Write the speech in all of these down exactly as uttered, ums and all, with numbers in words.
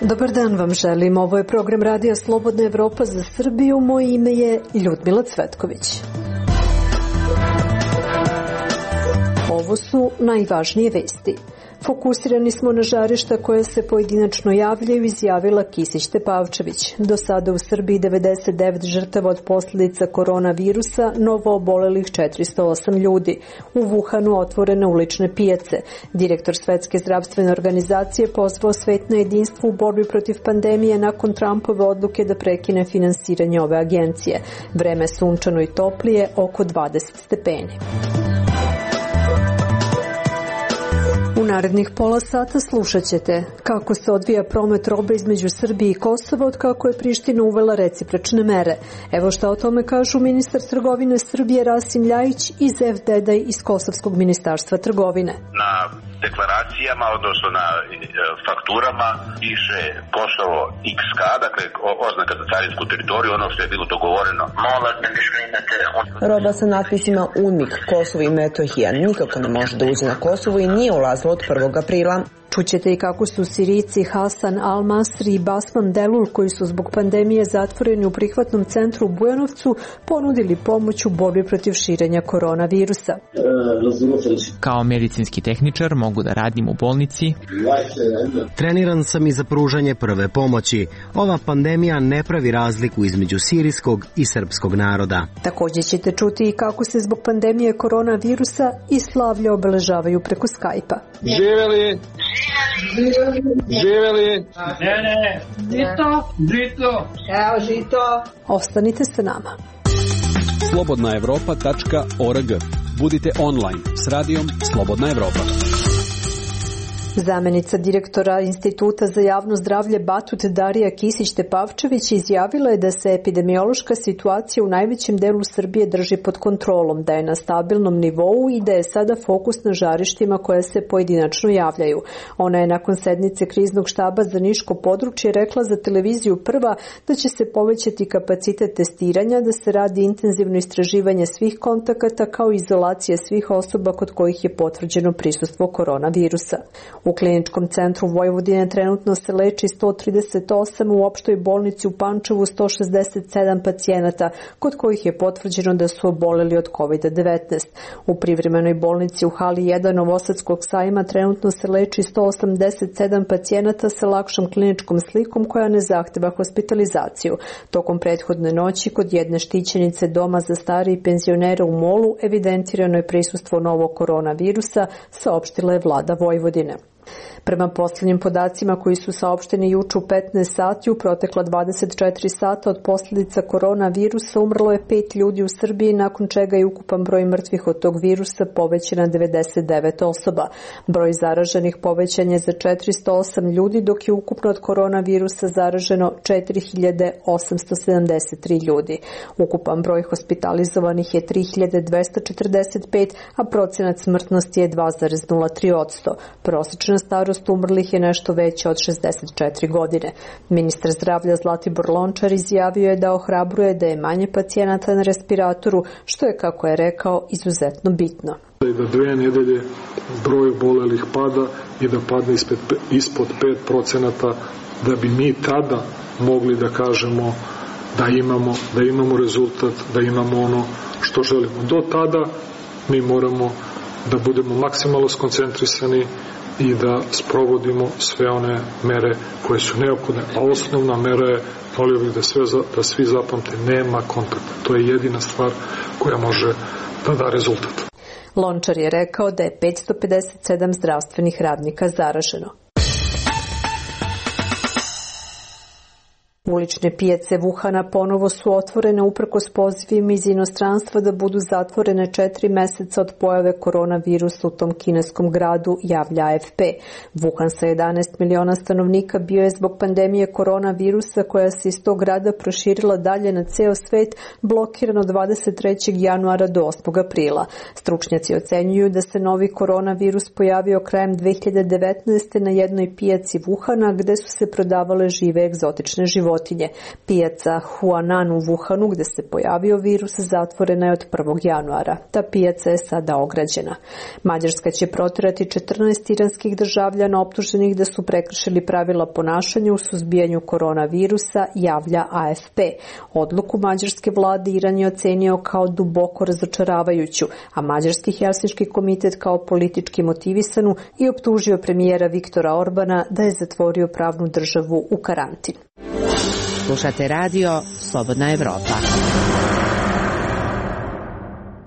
Dobar dan vam želim. Ovo je program Radija Slobodna Evropa za Srbiju. Moje ime je Ljudmila Cvetković. Ovo su najvažnije vesti. Fokusirani smo na žarišta koja se pojedinačno javljaju, izjavila Kisić Tepavčević. Do sada u Srbiji devedeset devet žrtava od posljedica koronavirusa, novo obolelih četiristo osam ljudi. U Wuhanu otvorene ulične pijace. Direktor Svetske zdravstvene organizacije pozvao svet na jedinstvo u borbi protiv pandemije nakon Trumpove odluke da prekine finansiranje ove agencije. Vreme sunčano i toplije, oko dvadeset stepeni. U narednih pola sata slušat ćete kako se odvija promet robe između Srbije i Kosova od kako je Priština uvela recipročne mere. Evo šta o tome kažu ministar trgovine Srbije Rasim Ljajić i Zev Dedaj iz Kosovskog ministarstva trgovine. Na deklaracijama, odnosno na fakturama piše Kosovo iks ka, dakle oznaka za carinsku teritoriju, ono što je bilo dogovoreno. Roba sa natpisima U N M I K, Kosovo i Metohija nikako ne može da uđe na Kosovo i nije ulazila od prvog aprila. Čućete i kako su Sirijci Hasan Al-Masri i Basman Delul, koji su zbog pandemije zatvoreni u prihvatnom centru u Bujanovcu, ponudili pomoć u borbi protiv širenja koronavirusa. Kao medicinski tehničar mogu da radim u bolnici. Treniran sam i za pružanje prve pomoći. Ova pandemija ne pravi razliku između sirijskog i srpskog naroda. Također ćete čuti i kako se zbog pandemije koronavirusa i slavlja obeležavaju preko Skype-a. Živeli! Živeli! Ne, ne! Žito! Žito! Evo žito! Ostanite sa nama. slobodna evropa tačka org. Budite online s radijom Slobodna Evropa. Zamenica direktora Instituta za javno zdravlje Batut Darija Kisić Tepavčević izjavila je da se epidemiološka situacija u najvećem delu Srbije drži pod kontrolom, da je na stabilnom nivou i da je sada fokus na žarištima koje se pojedinačno javljaju. Ona je nakon sednice kriznog štaba za Niško područje rekla za televiziju Prva da će se povećati kapacitet testiranja, da se radi intenzivno istraživanje svih kontakata kao i izolacija svih osoba kod kojih je potvrđeno prisustvo koronavirusa. U Kliničkom centru Vojvodine trenutno se leči sto trideset osam, u opštoj bolnici u Pančevu sto šezdeset sedam pacijenata, kod kojih je potvrđeno da su oboleli od kovid devetnaest. U privremenoj bolnici u hali jedan Novosadskog sajma trenutno se leči sto osamdeset sedam pacijenata sa lakšom kliničkom slikom koja ne zahteva hospitalizaciju. Tokom prethodne noći kod jedne štićenice doma za starije i penzionere u Molu evidentirano je prisustvo novog koronavirusa, saopštila je vlada Vojvodine. Prema posljednjim podacima koji su saopšteni juče u petnaest sati, u protekla dvadeset četiri sata od posljedica koronavirusa umrlo je pet ljudi u Srbiji, nakon čega je ukupan broj mrtvih od tog virusa povećan na devedeset devet osoba. Broj zaraženih povećan je za četiristo osam ljudi, dok je ukupno od koronavirusa zaraženo četiri hiljade osamsto sedamdeset tri ljudi. Ukupan broj hospitalizovanih je tri hiljade dvesta četrdeset pet, a procenat smrtnosti je dva zarez nula tri posto. Prosječna starost umrlih je nešto veća od šezdeset četiri godine. Ministar zdravlja Zlatibor Lončar izjavio je da ohrabruje da je manje pacijenata na respiratoru, što je, kako je rekao, izuzetno bitno. Da dve nedelje broj obolelih pada i da padne ispod pet procenata, da bi mi tada mogli da kažemo da imamo, da imamo rezultat, da imamo ono što želimo. Do tada mi moramo da budemo maksimalno skoncentrisani i da sprovodimo sve one mere koje su neophodne. A osnovna mera je, volio bih da, sve, da svi zapamte, nema kontakta. To je jedina stvar koja može da da rezultat. Lončar je rekao da je petsto pedeset sedam zdravstvenih radnika zaraženo. Ulične pijace Wuhana ponovo su otvorene uprkos pozivima iz inostranstva da budu zatvorene četiri meseca od pojave koronavirusa u tom kineskom gradu, javlja A F P. Wuhan sa jedanaest miliona stanovnika bio je zbog pandemije koronavirusa koja se iz tog grada proširila dalje na ceo svet blokiran od dvadeset trećeg januara do osmog aprila. Stručnjaci ocenjuju da se novi koronavirus pojavio krajem dve hiljade devetnaeste. na jednoj pijaci Wuhana gde su se prodavale žive egzotične životinje. životinje. Pijaca Huanan u Wuhanu, gde se pojavio virus, zatvorena je od prvog januara. Ta pijaca je sada ograđena. Mađarska će proterati četrnaest iranskih državljana optuženih da su prekršili pravila ponašanja u suzbijanju koronavirusa, javlja A F P. Odluku mađarske vlade Iran je ocenio kao duboko razočaravajuću, a mađarski Helsinški komitet kao politički motivisanu i optužio premijera Viktora Orbana da je zatvorio pravnu državu u karantin. Slušate radio Slobodna Evropa.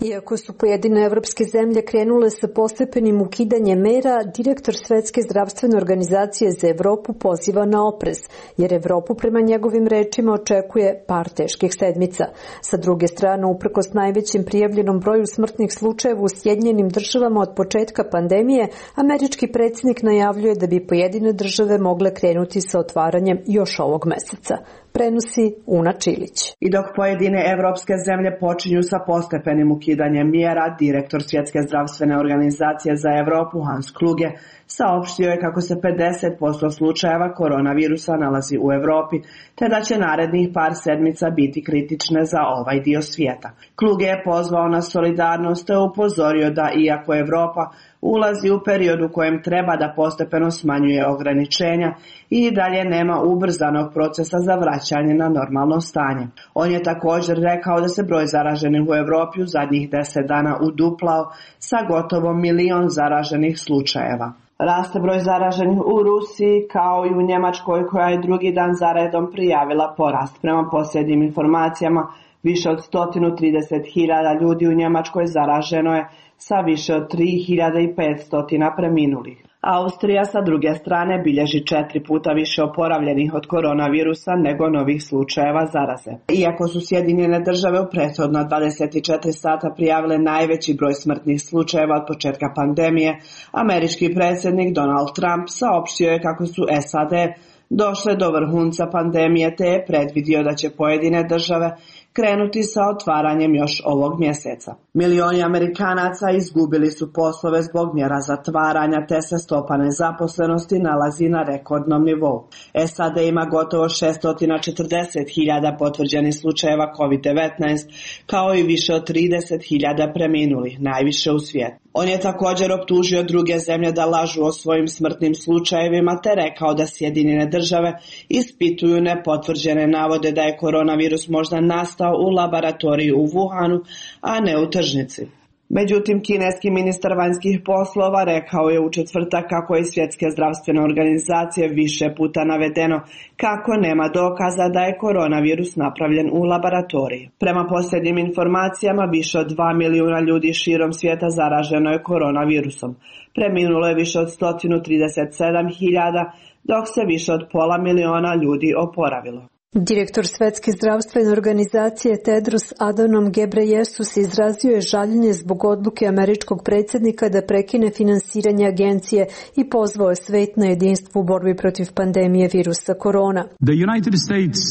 Iako su pojedine evropske zemlje krenule sa postepenim ukidanjem mera, direktor Svetske zdravstvene organizacije za Evropu poziva na oprez, jer Evropu prema njegovim rečima očekuje par teških sedmica. Sa druge strane, uprkos najvećem prijavljenom broju smrtnih slučajeva u Sjedinjenim državama od početka pandemije, američki predsjednik najavljuje da bi pojedine države mogle krenuti sa otvaranjem još ovog meseca. Prenosi Una Čilić. I dok pojedine evropske zemlje počinju sa postepenim ukidanjem mjera, direktor Svjetske zdravstvene organizacije za Evropu Hans Kluge saopštio je kako se pedeset posto slučajeva koronavirusa nalazi u Evropi, te da će narednih par sedmica biti kritične za ovaj dio svijeta. Kluge je pozvao na solidarnost te upozorio da iako Evropa ulazi u period u kojem treba da postepeno smanjuje ograničenja i dalje nema ubrzanog procesa za vraćanje na normalno stanje. On je također rekao da se broj zaraženih u Evropi u zadnjih deset dana uduplao sa gotovo milion zaraženih slučajeva. Raste broj zaraženih u Rusiji kao i u Njemačkoj, koja je drugi dan zaredom prijavila porast. Prema posljednjim informacijama, više od sto trideset hiljada ljudi u Njemačkoj zaraženo je sa više od tri hiljade petsto preminulih. Austrija sa druge strane bilježi četiri puta više oporavljenih od koronavirusa nego novih slučajeva zaraze. Iako su Sjedinjene države u prethodna dvadeset četiri sata prijavile najveći broj smrtnih slučajeva od početka pandemije, američki predsjednik Donald Trump saopštio je kako su S A D došle do vrhunca pandemije, te je predvidio da će pojedine države krenuti sa otvaranjem još ovog mjeseca. Milioni Amerikanaca izgubili su poslove zbog mjera zatvaranja, te se stopa nezaposlenosti nalazi na rekordnom nivou. S A D ima gotovo šesto četrdeset hiljada potvrđenih slučajeva kovid devetnaest, kao i više od trideset hiljada preminulih, najviše u svijetu. On je također optužio druge zemlje da lažu o svojim smrtnim slučajevima, te rekao da Sjedinjene države ispituju nepotvrđene navode da je koronavirus možda nastao u laboratoriji u Wuhanu, a ne u tržnici. Međutim, kineski ministar vanjskih poslova rekao je u četvrtak kako je iz Svjetske zdravstvene organizacije više puta navedeno kako nema dokaza da je koronavirus napravljen u laboratoriji. Prema posljednjim informacijama, više od dva milijuna ljudi širom svijeta zaraženo je koronavirusom. Preminulo je više od sto trideset sedam hiljada, dok se više od pola miliona ljudi oporavilo. Direktor Svetske zdravstvene organizacije Tedros Adhanom Ghebreyesus izrazio je žaljenje zbog odluke američkog predsjednika da prekine finansiranje agencije i pozvao je svet na jedinstvo u borbi protiv pandemije virusa korona. The United States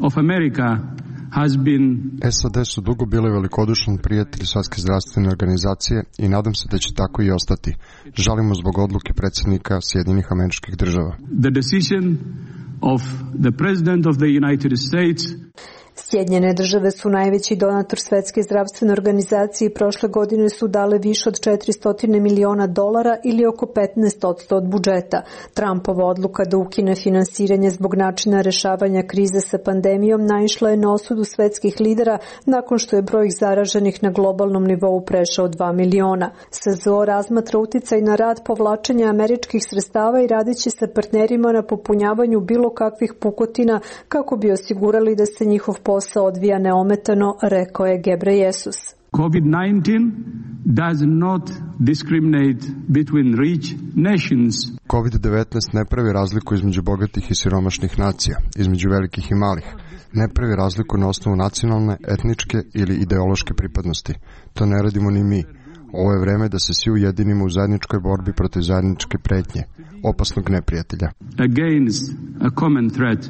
of America has been... S A D su dugo bili velikodušan prijatelj Svetske zdravstvene organizacije i nadam se da će tako i ostati. Žalimo zbog odluke predsjednika Sjedinjenih Američkih Država. The decision of the President of the United States. Sjedinjene države su najveći donator Svetske zdravstvene organizacije i prošle godine su dale više od četiristo miliona dolara ili oko petnaest posto od budžeta. Trumpova odluka da ukine finansiranje zbog načina rešavanja krize sa pandemijom naišla je na osudu svetskih lidera nakon što je broj zaraženih na globalnom nivou prešao dva miliona. S Z O razmatra uticaj na rad povlačenja američkih sredstava i radiće sa partnerima na popunjavanju bilo kakvih pukotina kako bi osigurali da se njihov posao odvija neometano, rekao je Ghebreyesus. COVID nineteen does not discriminate between rich nations. kovid devetnaest ne pravi razliku između bogatih i siromašnih nacija, između velikih i malih. Ne pravi razliku na osnovu nacionalne, etničke ili ideološke pripadnosti. To ne radimo ni mi. Ovo je vreme da se svi ujedinimo u zajedničkoj borbi protiv zajedničke pretnje, opasnog neprijatelja. Against a common threat,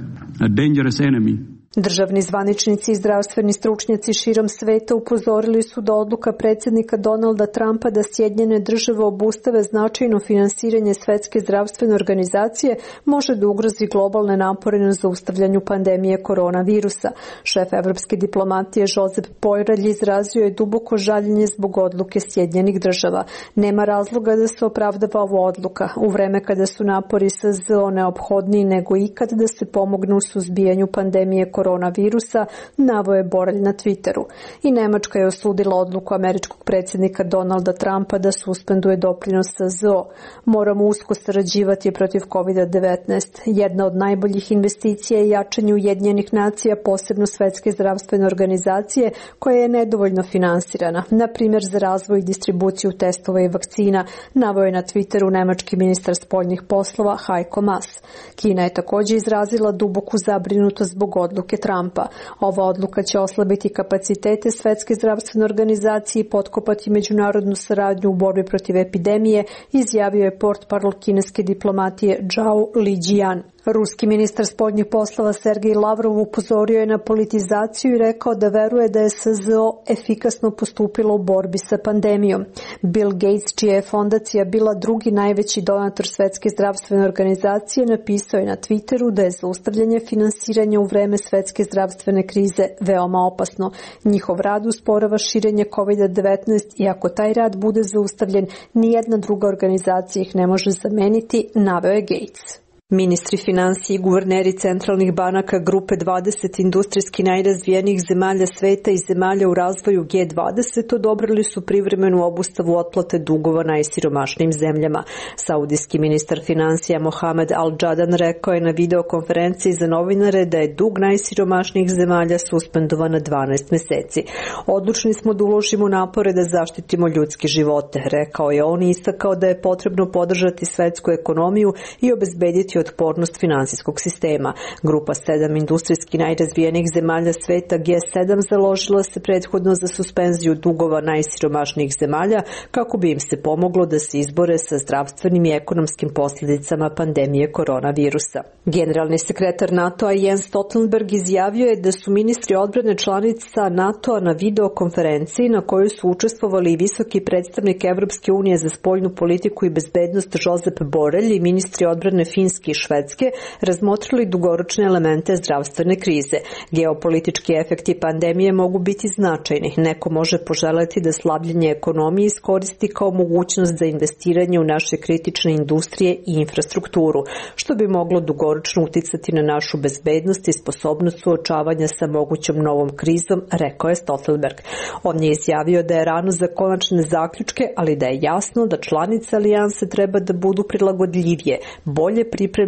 a dangerous enemy. Državni zvaničnici i zdravstveni stručnjaci širom sveta upozorili su da odluka predsjednika Donalda Trumpa da Sjedinjene države obustave značajno finansiranje Svetske zdravstvene organizacije može da ugrozi globalne napore na zaustavljanju pandemije koronavirusa. Šef evropske diplomatije Josep Borrell izrazio je duboko žaljenje zbog odluke Sjedinjenih država. Nema razloga da se opravdava ova odluka, u vreme kada su napori S Z O neophodniji nego ikad da se pomogne u suzbijanju pandemije koronavirusa, naveo je Borrell na Twitteru. I Nemačka je osudila odluku američkog predsjednika Donalda Trumpa da suspenduje doprinos S Z O. Moramo usko sarađivati protiv kovid devetnaest. Jedna od najboljih investicija je jačanje Ujedinjenih nacija, posebno Svetske zdravstvene organizacije, koja je nedovoljno finansirana, na primjer za razvoj i distribuciju testova i vakcina, naveo je na Twitteru nemački ministar spoljnih poslova Heiko Maas. Kina je također izrazila duboku zabrinutost zbog odluke Trumpa. Ova odluka će oslabiti kapacitete Svetske zdravstvene organizacije i potkopati međunarodnu saradnju u borbi protiv epidemije, izjavio je portparol kineske diplomatije Zhao Lijian. Ruski ministar spoljnih poslova Sergej Lavrov upozorio je na politizaciju i rekao da veruje da je S Z O efikasno postupilo u borbi sa pandemijom. Bill Gates, čija je fondacija bila drugi najveći donator Svetske zdravstvene organizacije, napisao je na Twitteru da je zaustavljanje finansiranja u vreme svetske zdravstvene krize veoma opasno. Njihov rad usporava širenje kovid devetnaest i ako taj rad bude zaustavljen, nijedna druga organizacija ih ne može zameniti, naveo je Gates. Ministri financije i guverneri centralnih banaka grupe dvadeset industrijski najrazvijenijih zemalja sveta i zemalja u razvoju G dvadeset odobrili su privremenu obustavu otplate dugova najsiromašnijim zemljama. Saudijski ministar financija Mohamed Al-Jadan rekao je na videokonferenciji za novinare da je dug najsiromašnijih zemalja suspendovan na dvanaest meseci. Odlučni smo da uložimo napore da zaštitimo ljudske živote, rekao je on i istakao da je potrebno podržati svetsku ekonomiju i obezbediti otpornost finansijskog sistema. Grupa sedam industrijski najrazvijenijih zemalja sveta G sedam založila se prethodno za suspenziju dugova najsiromašnijih zemalja kako bi im se pomoglo da se izbore sa zdravstvenim i ekonomskim posljedicama pandemije koronavirusa. Generalni sekretar NATO-a Jens Stoltenberg izjavio je da su ministri odbrane članica NATO-a na videokonferenciji na kojoj su učestvovali i visoki predstavnik Evropske unije za spoljnu politiku i bezbednost Josep Borrell i ministri odbrane Finske i Švedske razmotrili dugoročne elemente zdravstvene krize. Geopolitički efekti pandemije mogu biti značajni. Neko može poželeti da slabljenje ekonomije iskoristi kao mogućnost za investiranje u naše kritične industrije i infrastrukturu, što bi moglo dugoročno uticati na našu bezbednost i sposobnost suočavanja sa mogućom novom krizom, rekao je Stoltenberg. On je izjavio da je rano za konačne zaključke, ali da je jasno da članice alijanse treba da budu prilagodljivije, bolje pripremljene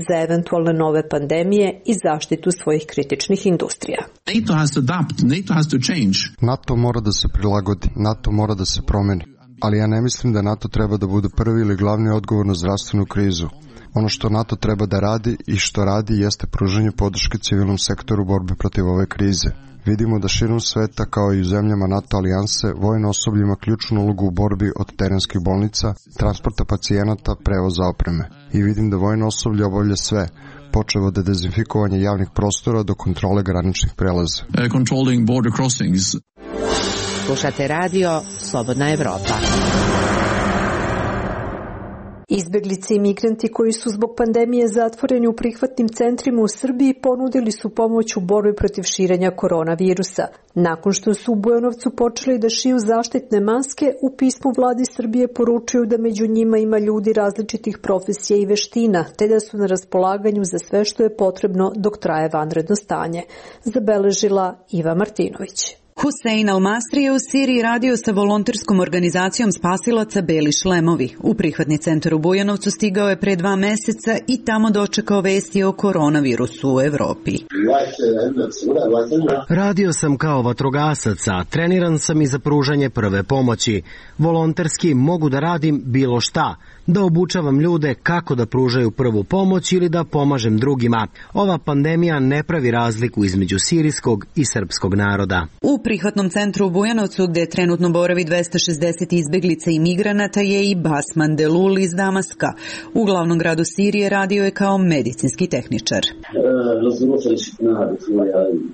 za eventualne nove pandemije i zaštitu svojih kritičnih industrija. NATO has to adapt, NATO has to change. NATO mora da se prilagodi, NATO mora da se promeni. Ali ja ne mislim da NATO treba da bude prvi ili glavni odgovor na zdravstvenu krizu. Ono što NATO treba da radi i što radi jeste pružanje podrške civilnom sektoru u borbi protiv ove krize. Vidimo da širom sveta, kao i u zemljama NATO alijanse, vojno osoblje ima ključnu ulogu u borbi od terenskih bolnica, transporta pacijenata, prevoza opreme. I vidim da vojno osoblje obavlja sve, počev od dezinfikovanja javnih prostora do kontrole graničnih prelaza. Uh, controlling border crossings. Slušate radio Slobodna Evropa. Izbeglice i migranti koji su zbog pandemije zatvoreni u prihvatnim centrima u Srbiji ponudili su pomoć u borbi protiv širenja koronavirusa. Nakon što su u Bujanovcu počeli da šiju zaštitne maske, u pismu vladi Srbije poručuju da među njima ima ljudi različitih profesija i veština, te da su na raspolaganju za sve što je potrebno dok traje vanredno stanje, zabeležila Iva Martinović. Husein Al-Masri je u Siriji radio sa volonterskom organizacijom spasilaca Beli šlemovi. U prihvatni centar u Bujanovcu stigao je pre dva meseca i tamo dočekao vesti o koronavirusu u Evropi. Radio sam kao vatrogasac, a treniran sam i za pružanje prve pomoći. Volonterski mogu da radim bilo šta, da obučavam ljude kako da pružaju prvu pomoć ili da pomažem drugima. Ova pandemija ne pravi razliku između sirijskog i srpskog naroda. U prihvatnom centru u Bujanovcu, gde trenutno boravi dvesta šezdeset izbeglica i migranata, je i Basman Delul iz Damaska. U glavnom gradu Sirije radio je kao medicinski tehničar.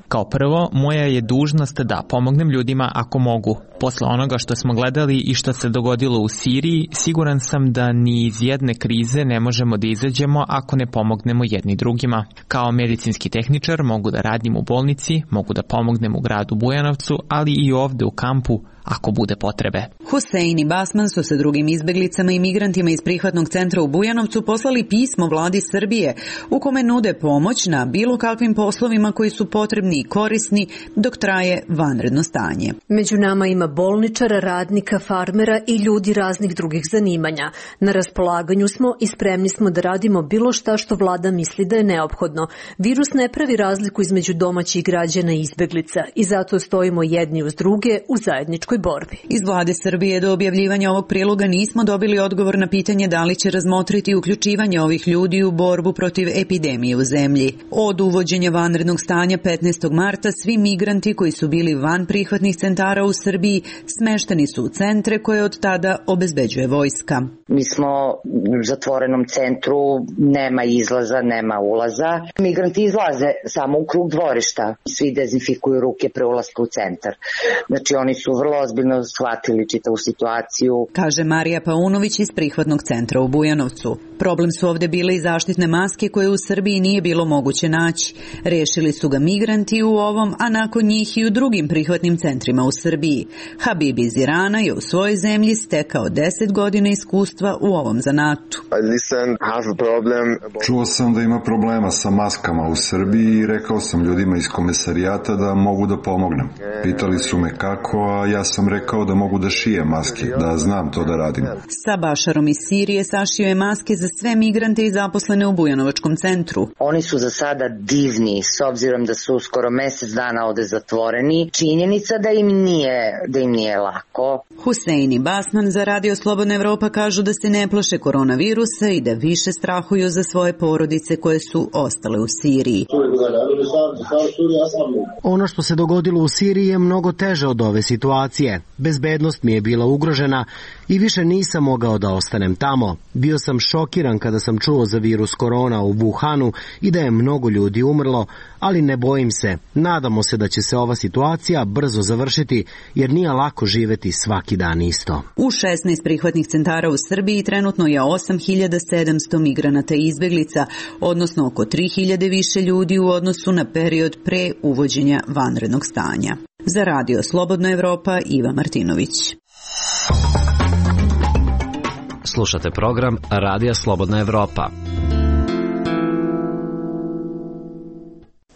Kao prvo, moja je dužnost da pomognem ljudima ako mogu. Posle onoga što smo gledali i što se dogodilo u Siriji, siguran sam da ni iz jedne krize ne možemo da izađemo ako ne pomognemo jedni drugima. Kao medicinski tehničar mogu da radim u bolnici, mogu da pomognem u gradu Bujanovcu, ali i ovde u kampu ako bude potrebe. Husein i Basman su sa drugim izbeglicama i migrantima iz prihvatnog centra u Bujanovcu poslali pismo vladi Srbije u kome nude pomoć na bilo kakvim poslovima koji su potrebni i korisni dok traje vanredno stanje. Među nama ima bolničara, radnika, farmera i ljudi raznih drugih zanimanja. Na raspolaganju smo i spremni smo da radimo bilo šta što vlada misli da je neophodno. Virus ne pravi razliku između domaćih građana i izbeglica i zato stojimo jedni uz druge u zajedničkoj borbi. Iz vlade Srbije do objavljivanja ovog priloga nismo dobili odgovor na pitanje da li će razmotriti uključivanje ovih ljudi u borbu protiv epidemije u zemlji. Od uvođenja vanrednog stanja petnaestog marta svi migranti koji su bili van prihvatnih centara u Srbiji smešteni su u centre koje od tada obezbeđuje vojska. Mi smo u zatvorenom centru, nema izlaza, nema ulaza. Migranti izlaze samo u krug dvorišta. Svi dezinfikuju ruke pre ulaska u centar. Znači oni su vrlo ozbiljno shvatili čitavu situaciju. Kaže Marija Paunović iz prihvatnog centra u Bujanovcu. Problem su ovde bile i zaštitne maske koje u Srbiji nije bilo moguće naći. Rešili su ga migranti u ovom, a nakon njih i u drugim prihvatnim centrima u Srbiji. Habib iz Irana je u svojoj zemlji stekao deset godina iskustva u ovom zanatu. Čuo sam da ima problema sa maskama u Srbiji i rekao sam ljudima iz komesarijata da mogu da pomognem. Pitali su me kako, a ja sam rekao da mogu da šijem maske, da znam to da radim. Sa Bašarom iz Sirije sašio je maske za sve migrante i zaposlene u Bujanovačkom centru. Oni su za sada divni, s obzirom da su skoro mesec dana ovde zatvoreni. Činjenica da im nije, da im nije lako. Husein i Basman za Radio Slobodna Evropa kažu da se ne plaše koronavirusa i da više strahuju za svoje porodice koje su ostale u Siriji. Ono što se dogodilo u Siriji je mnogo teže od ove situacije. Bezbednost mi je bila ugrožena i više nisam mogao da ostanem tamo. Bio sam šokiran kada sam čuo za virus korona u Wuhanu i da je mnogo ljudi umrlo, ali ne bojim se. Nadamo se da će se ova situacija brzo završiti, jer nije lako živeti svaki dan isto. U šesnaest prihvatnih centara u Srbiji trenutno je osam hiljada sedamsto migranata i izbeglica, odnosno oko tri hiljade više ljudi u odnosu na period pre uvođenja vanrednog stanja. Za Radio Slobodna Evropa, Iva Martinović. Slušate program Radija Slobodna Evropa.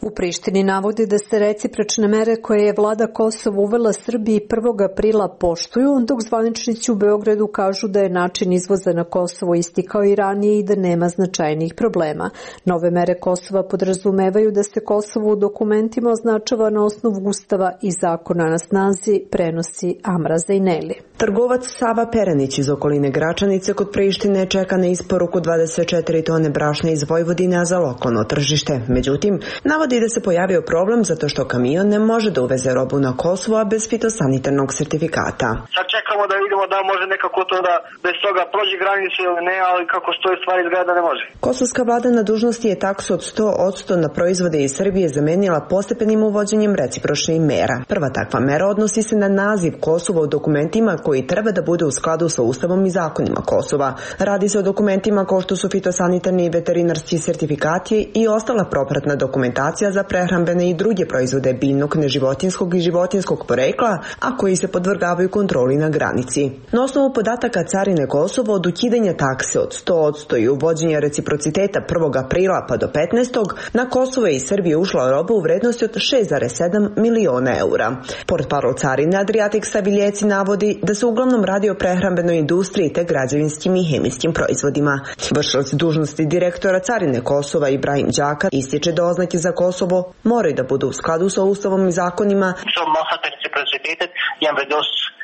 U Prištini navode da se recipročne mere koje je vlada Kosova uvela Srbiji prvog aprila poštuju, dok zvaničnici u Beogradu kažu da je način izvoza na Kosovo isti kao i ranije i da nema značajnih problema. Nove mere Kosova podrazumevaju da se Kosovo u dokumentima označava na osnovu Ustava i zakona na snazi, prenosi Amra Zejneli. Trgovac Sava Perenić iz okoline Gračanice kod Prištine čeka na isporuku dvadeset četiri tone brašna iz Vojvodine za lokalno tržište. Međutim, navodi da se pojavio problem zato što kamion ne može da uveze robu na Kosovo, a bez fitosanitarnog sertifikata. Sad čekamo da vidimo da može nekako to da bez toga prođe granicu ili ne, ali kako stoje stvari izgleda da ne može. Kosovska vlada na dužnosti je taksu od sto posto na proizvode iz Srbije zamenila postepenim uvođenjem recipročnih mera. Prva takva mera odnosi se na naziv Kosova u dokumentima koji treba da bude u skladu sa Ustavom i zakonima Kosova. Radi se o dokumentima kao što su fitosanitarni i veterinarski sertifikati i ostala propratna dokumentacija za prehrambene i druge proizvode biljnog, neživotinskog i životinskog porekla, a koji se podvrgavaju kontroli na granici. Na osnovu podataka Carine Kosovo od ukidanja takse od sto posto i uvođenja reciprociteta prvog aprila pa do petnaestog na Kosovo je iz Srbije ušla roba u vrednosti od šest zarez sedam miliona eura. Portparol Carine Adriatik Saviljeci navodi da se uglavnom radi o prehrambenoj industriji te građevinskim i hemijskim proizvodima. Vršilac dužnosti direktora Carine Kosova Ibrahim Đaka ističe da oznake za Kosovo moraju da budu u skladu sa Ustavom i zakonima.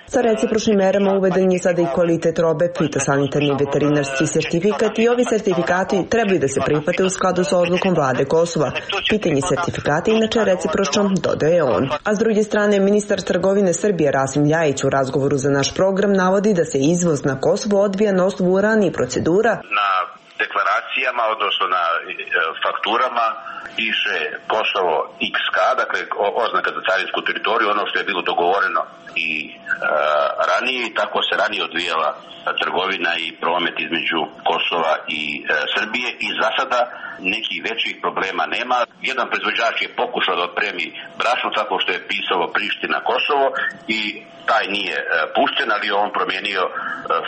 Sa recipročnim merama uveden je sada i kvalitet robe, fitosanitarni veterinarski sertifikat i ovi sertifikati trebaju da se prihvate u skladu sa odlukom vlade Kosova. Pitanje sertifikata inače recipročno, dodaje on. A s druge strane, ministar trgovine Srbije Rasim Ljajić u razgovoru za naš program navodi da se izvoz na Kosovo odvija na osnovu ranijih procedura. Na deklaracijama, odnosno na fakturama piše Kosovo iks ka, dakle oznaka za carinsku teritoriju, ono što je bilo dogovoreno i e, ranije, i tako se ranije odvijala trgovina i promet između Kosova i e, Srbije i za sada nekih većih problema nema. Jedan proizvođač je pokušao da otpremi brašno tako što je pisalo Priština Kosovo i taj nije e, pušten, ali on promijenio e,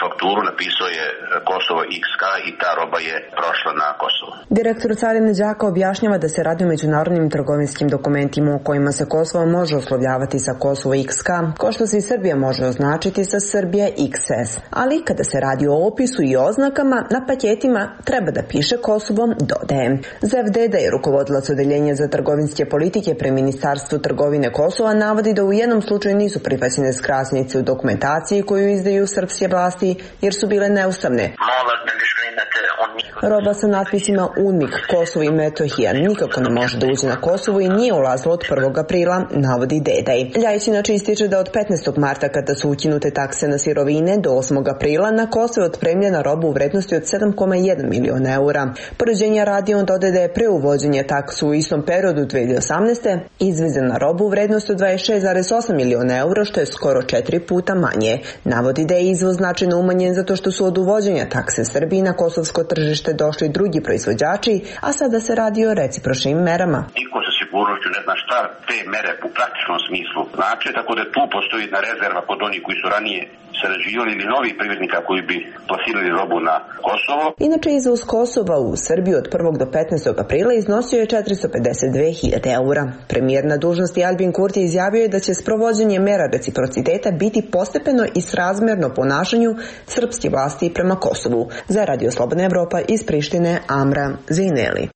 fakturu, napisao je Kosovo iks ka i ta roba je prošla na Kosovo. Direktor carine Đaka objašnjava da se radi o međunarodnim trgovinskim dokumentima u kojima se Kosovo može oslovljavati sa Kosovo iks ka, kao što se i Srbija može označiti sa Srbija iks es. Ali kada se radi o opisu i oznakama, na paketima treba da piše Kosovo, dodaje. Zevdeda je rukovodilac odeljenja za trgovinske politike pri Ministarstvu trgovine Kosova navodi da u jednom slučaju nisu prihvaćene skrasnice u dokumentaciji koju izdaju srpske vlasti jer su bile neustavne. Roba sa natpisima UNMIK, Kosovo i Metohija nikako ne može da uđe na Kosovo i nije ulazila od prvog aprila, navodi Dedaj. Ljajić inače ističe da od petnaestog marta kada su ukinute takse na sirovine do osmog aprila na Kosovo je otpremljena roba u vrednosti od sedam zarez jedan miliona eura. Poređenja radi on dodaje da je pre uvođenja taksu u istom periodu dve hiljade osamnaeste izvezena roba u vrednosti od dvadeset šest zarez osam miliona eura, što je skoro četiri puta manje. Navodi da je izvoz značajno umanjen zato što su od uvođenja takse Srbiji na kosovsko tržište došli drugi proizvođači, a sada se radi o recipročnim merama. Niko sa sigurnošću ne zna šta te mere u praktičnom smislu znači, tako da tu postoji jedna rezerva kod onih koji su ranije sarađivali ili novih privrednika koji bi plasirali robu na Kosovo. Inače, izvoz Kosova u Srbiju od prvog do petnaestog aprila iznosio je četiristo pedeset dve hiljade eura. Premijer na dužnosti Albin Kurti izjavio je da će sprovođenje mera reciprociteta biti postepeno i srazmerno ponašanju srpske vlasti prema Kosovu. Za Radio Slobodna Evropa iz Prištine, Amra Zineli.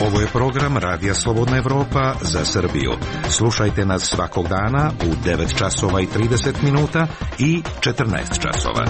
Ovo je program Radija Slobodna Evropa za Srbiju. Slušajte nas svakog dana u devet časova i trideset minuta i četrnaest časova.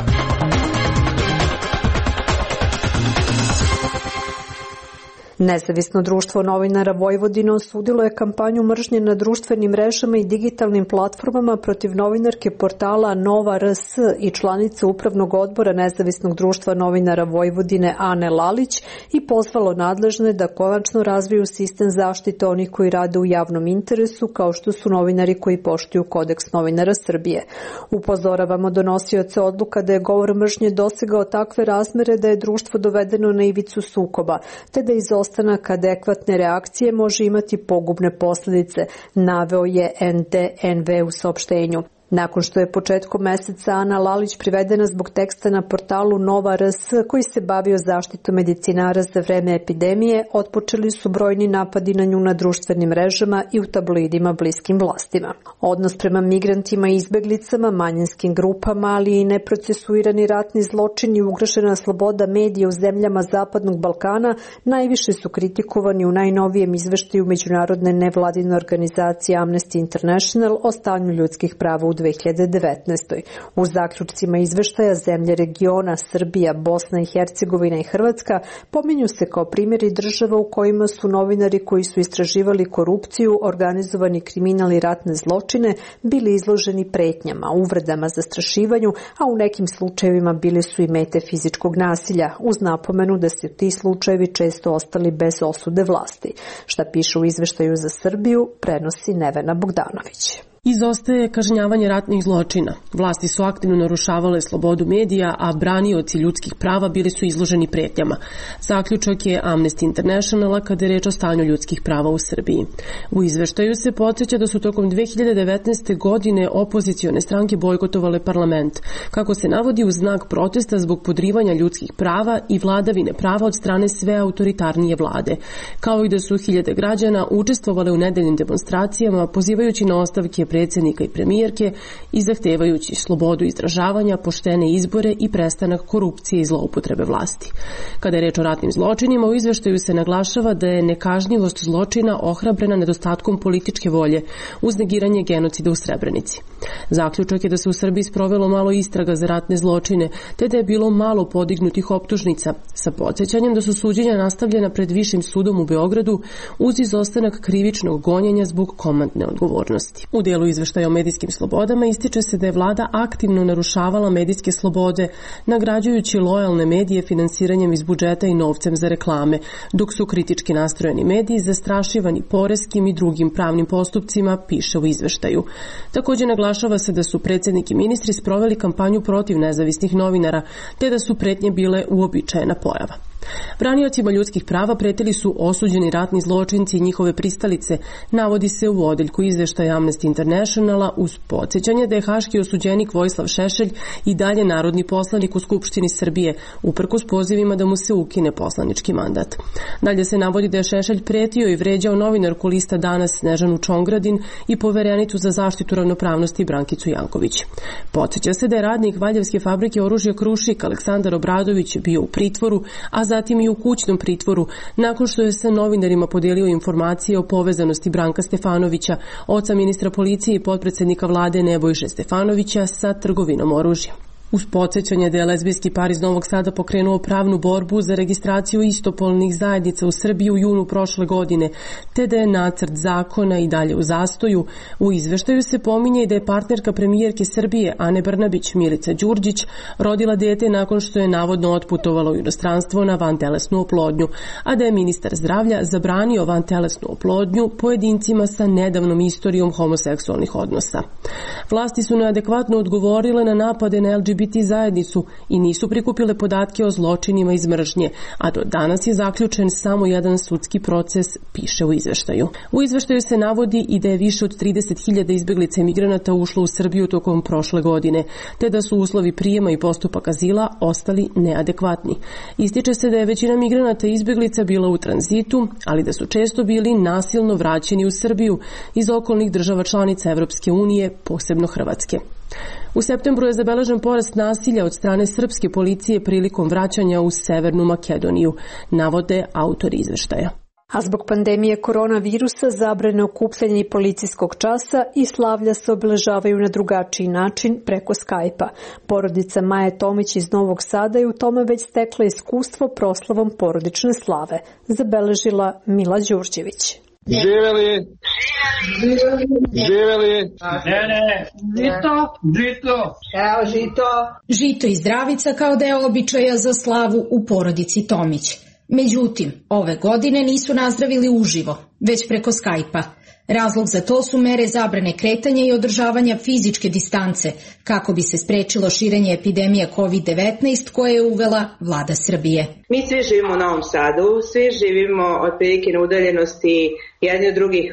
Nezavisno društvo novinara Vojvodine osudilo je kampanju mržnje na društvenim mrežama i digitalnim platformama protiv novinarke portala Nova R S i članice Upravnog odbora Nezavisnog društva novinara Vojvodine Ane Lalić i pozvalo nadležne da konačno razviju sistem zaštite onih koji rade u javnom interesu, kao što su novinari koji poštuju Kodeks novinara Srbije. Upozoravamo donosioce odluka da je govor mržnje dosegao takve razmere da je društvo dovedeno na ivicu sukoba, te da izostavljeno izostanak adekvatne reakcije može imati pogubne posljedice, naveo je N D N V u saopštenju. Nakon što je početkom meseca Ana Lalić privedena zbog teksta na portalu Nova R S koji se bavio zaštitom medicinara za vreme epidemije, otpočeli su brojni napadi na nju na društvenim mrežama i u tabloidima bliskim vlastima. Odnos prema migrantima i izbeglicama, manjinskim grupama, ali i neprocesuirani ratni zločini i ugrožena sloboda medija u zemljama Zapadnog Balkana najviše su kritikovani u najnovijem izveštaju međunarodne nevladine organizacije Amnesty International o stanju ljudskih prava u dve hiljade devetnaestoj. U zaključcima izveštaja zemlje regiona Srbija, Bosna i Hercegovina i Hrvatska pominju se kao primjeri država u kojima su novinari koji su istraživali korupciju, organizovani kriminal i ratne zločine bili izloženi pretnjama, uvredama, zastrašivanju, a u nekim slučajevima bili su i mete fizičkog nasilja, uz napomenu da su ti slučajevi često ostali bez osude vlasti. Šta piše u izveštaju za Srbiju, prenosi Nevena Bogdanović. Izostaje kažnjavanje ratnih zločina. Vlasti su aktivno narušavale slobodu medija, a branioci ljudskih prava bili su izloženi pretnjama. Zaključak je Amnesty Internationala kada je reč o stanju ljudskih prava u Srbiji. U izveštaju se podsjeća da su tokom dve hiljade devetnaeste. godine opozicione stranke bojkotovale parlament, kako se navodi u znak protesta zbog podrivanja ljudskih prava i vladavine prava od strane sve autoritarnije vlade, kao i da su hiljade građana učestvovale u nedeljnim demonstracijama pozivajući na ostavke predsjednika i premijerke i zahtevajući slobodu izražavanja, poštene izbore i prestanak korupcije i zloupotrebe vlasti. Kada je reč o ratnim zločinima, u izveštaju se naglašava da je nekažnjivost zločina ohrabrena nedostatkom političke volje uz negiranje genocida u Srebrenici. Zaključak je da se u Srbiji sprovelo malo istraga za ratne zločine, te da je bilo malo podignutih optužnica, sa podsjećanjem da su suđenja nastavljena pred Višim sudom u Beogradu uz izostanak krivičnog gonjenja zbog komandne odgovornosti. U delu izveštaja o medijskim slobodama ističe se da je vlada aktivno narušavala medijske slobode, nagrađujući lojalne medije finansiranjem iz budžeta i novcem za reklame, dok su kritički nastrojeni mediji zastrašivani poreskim i drugim pravnim postupcima, piše u izveštaju. Također naglašava se da su predsjednik i ministri sproveli kampanju protiv nezavisnih novinara, te da su pretnje bile uobičajena pojava. Braniocima ljudskih prava pretili su osuđeni ratni zločinci i njihove pristalice, navodi se u odeljku izveštaja Amnesty Internationala uz podsjećanje da je haški osuđenik Vojislav Šešelj i dalje narodni poslanik u Skupštini Srbije, uprkos pozivima da mu se ukine poslanički mandat. Dalje se navodi da je Šešelj pretio i vređao novinarku lista Danas Snežanu Čongradin i poverenicu za zaštitu ravnopravnosti Brankicu Janković. Podsjeća se da je radnik Valjevske fabrike oružja Krušik Aleksandar Obradović bio u pritvoru, a zatim i u kućnom pritvoru, nakon što je sa novinarima podelio informacije o povezanosti Branka Stefanovića, oca ministra policije i potpredsjednika vlade Nebojše Stefanovića sa trgovinom oružja. Uz podsjećanje da je lezbijski par iz Novog Sada pokrenuo pravnu borbu za registraciju istopolnih zajednica u Srbiji u junu prošle godine, te da je nacrt zakona i dalje u zastoju, u izveštaju se pominje i da je partnerka premijerke Srbije Ane Brnabić Milica Đurđić rodila dete nakon što je navodno otputovalo u inostranstvo na vantelesnu oplodnju, a da je ministar zdravlja zabranio vantelesnu oplodnju pojedincima sa nedavnom istorijom homoseksualnih odnosa. Vlasti su neadekvatno odgovorile na napade na L G B T zajednicu i nisu prikupile podatke o zločinima iz mržnje, a do danas je zaključen samo jedan sudski proces, piše u izveštaju. U izveštaju se navodi i da je više od trideset hiljada izbeglica i migranata ušlo u Srbiju tokom prošle godine, te da su uslovi prijema i postupak azila ostali neadekvatni. Ističe se da je većina migranata i izbeglica bila u tranzitu, ali da su često bili nasilno vraćeni u Srbiju iz okolnih država članica Evropske unije, posebno Hrvatske. U septembru je zabeležen porast nasilja od strane srpske policije prilikom vraćanja u Severnu Makedoniju, navode autori izveštaja. A zbog pandemije koronavirusa zabrane okupljanja i policijskog časa i slavlja se obeležavaju na drugačiji način preko Skype-a. Porodica Maje Tomić iz Novog Sada je u tome već stekla iskustvo proslavom porodične slave, zabeležila Mila Đurđević. Živeli, živeli, ne, ne, žito, žito, evo žito. Žito i zdravica kao deo običaja za slavu u porodici Tomić. Međutim, ove godine nisu nazdravili uživo, već preko Skype-a. Razlog za to su mere zabrane kretanja i održavanja fizičke distance, kako bi se sprečilo širenje epidemije kovid devetnaest koje je uvela vlada Srbije. Mi svi živimo u Novom Sadu, svi živimo otprilike na udaljenosti jedni od drugih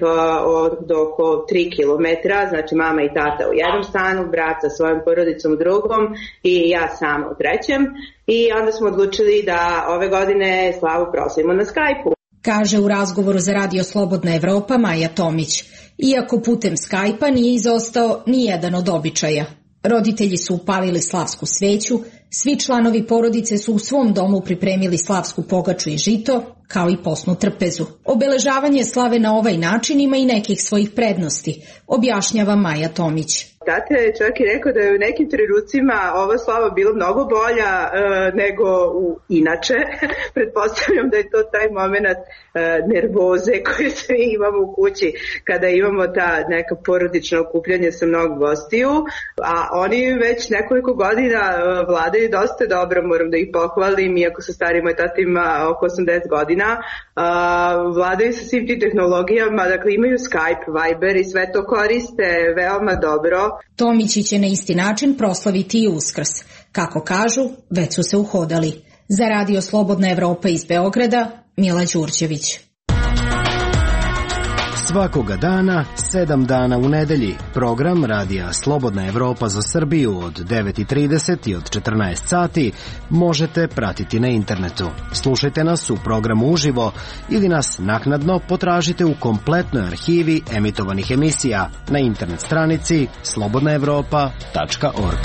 od oko tri kilometra, znači mama i tata u jednom stanu, brat sa svojom porodicom u drugom i ja sama u trećem. I onda smo odlučili da ove godine slavu proslavimo na Skype-u. Kaže u razgovoru za Radio Slobodna Evropa Maja Tomić. Iako putem Skype-a nije izostao ni jedan od običaja. Roditelji su upalili slavsku sveću, svi članovi porodice su u svom domu pripremili slavsku pogaču i žito, kao i posnu trpezu. Obeležavanje slave na ovaj način ima i nekih svojih prednosti, objašnjava Maja Tomić. Tata je čak i rekao da je u nekim trenucima ova slava bila mnogo bolja e, nego u inače. Pretpostavljam da je to taj moment e, nervoze koje svi imamo u kući kada imamo ta neka porodična okupljanja sa mnogo gostiju, a oni već nekoliko godina e, vladaju dosta dobro, moram da ih pohvalim, iako sa starim moj tata ima oko osamdeset godina, e, vladaju sa svim tim tehnologijama, dakle imaju Skype, Viber i sve to koriste veoma dobro. Tomići će na isti način proslaviti i Uskrs. Kako kažu, već su se uhodali. Za Radio Slobodna Evropa iz Beograda, Mila Đurđević. Svakoga dana, sedam dana u nedelji, program Radija Slobodna Evropa za Srbiju od devet i trideset i od četrnaest sati možete pratiti na internetu. Slušajte nas u programu uživo ili nas naknadno potražite u kompletnoj arhivi emitovanih emisija na internet stranici slobodna evropa tačka org.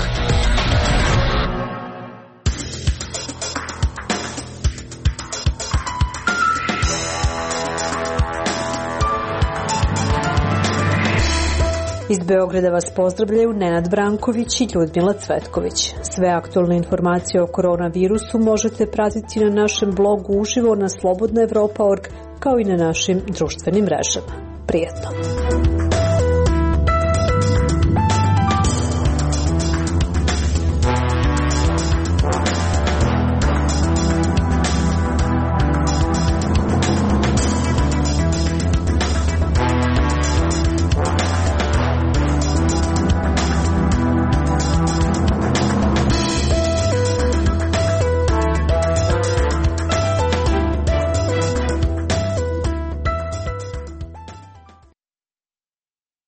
Iz Beograda vas pozdravljaju Nenad Branković i Ljudmila Cvetković. Sve aktualne informacije o koronavirusu možete pratiti na našem blogu uživo na slobodna evropa tačka org kao i na našim društvenim mrežama. Prijetno!